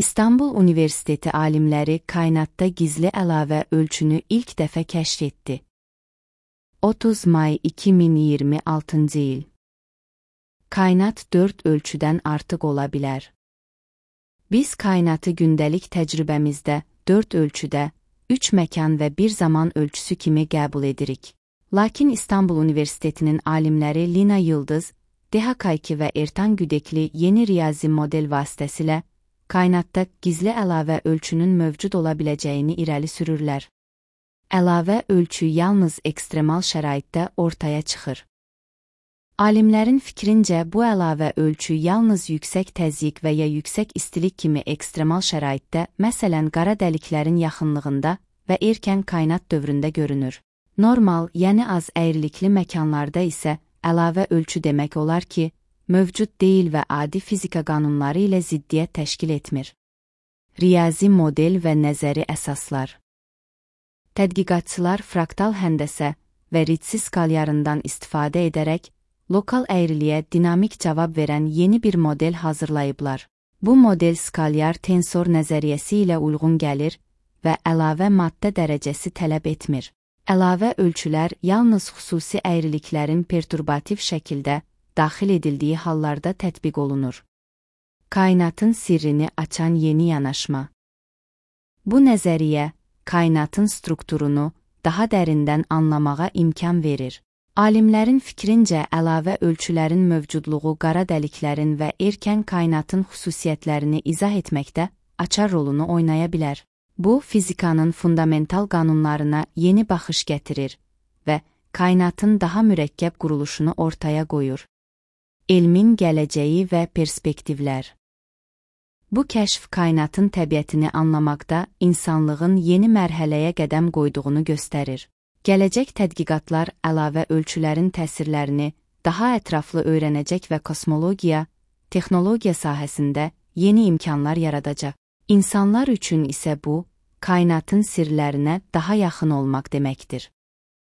İstanbul Universiteti alimləri kainatda gizli əlavə ölçünü ilk dəfə kəşf etdi. 30 may 2026 il. Kainat 4 ölçüdən artıq ola bilər. Biz kainatı gündəlik təcrübəmizdə 4 ölçüdə, 3 məkan və 1 zaman ölçüsü kimi qəbul edirik. Lakin İstanbul Universitetinin alimləri Lina Yıldız, Deha Kayki və Ertan Güdekli yeni riyazi model vasitəsilə kainatda gizli əlavə ölçünün mövcud ola biləcəyini irəli sürürlər. Əlavə ölçü yalnız ekstremal şəraitdə ortaya çıxır. Alimlərin fikrincə, bu əlavə ölçü yalnız yüksək təzyiq və ya yüksək istilik kimi ekstremal şəraitdə, məsələn, qara dəliklərin yaxınlığında və erkən kainat dövründə görünür. Normal, yəni az əyrilikli məkanlarda isə əlavə ölçü demək olar ki, mövcud deyil və adi fizika qanunları ilə ziddiyyət təşkil etmir. Riyazi model və nəzəri əsaslar. Tədqiqatçılar fraktal həndəsə və Ritsi skalyarından istifadə edərək, lokal əyriliyə dinamik cavab verən yeni bir model hazırlayıblar. Bu model skalyar tensor nəzəriyyəsi ilə uyğun gəlir və əlavə maddə dərəcəsi tələb etmir. Əlavə ölçülər yalnız xüsusi əyriliklərin perturbativ şəkildə daxil edildiyi hallarda tətbiq olunur. Kainatın sirrini açan yeni yanaşma. Bu nəzəriyyə, kainatın strukturunu daha dərindən anlamağa imkan verir. Alimlərin fikrincə, əlavə ölçülərin mövcudluğu qara dəliklərin və erkən kainatın xüsusiyyətlərini izah etməkdə açar rolunu oynaya bilər. Bu, fizikanın fundamental qanunlarına yeni baxış gətirir və kainatın daha mürəkkəb quruluşunu ortaya qoyur. Elmin gələcəyi və perspektivlər. Bu kəşf kainatın təbiətini anlamaqda insanlığın yeni mərhələyə qədəm qoyduğunu göstərir. Gələcək tədqiqatlar əlavə ölçülərin təsirlərini daha ətraflı öyrənəcək və kosmologiya, texnologiya sahəsində yeni imkanlar yaradacaq. İnsanlar üçün isə bu, kainatın sirlərinə daha yaxın olmaq deməkdir.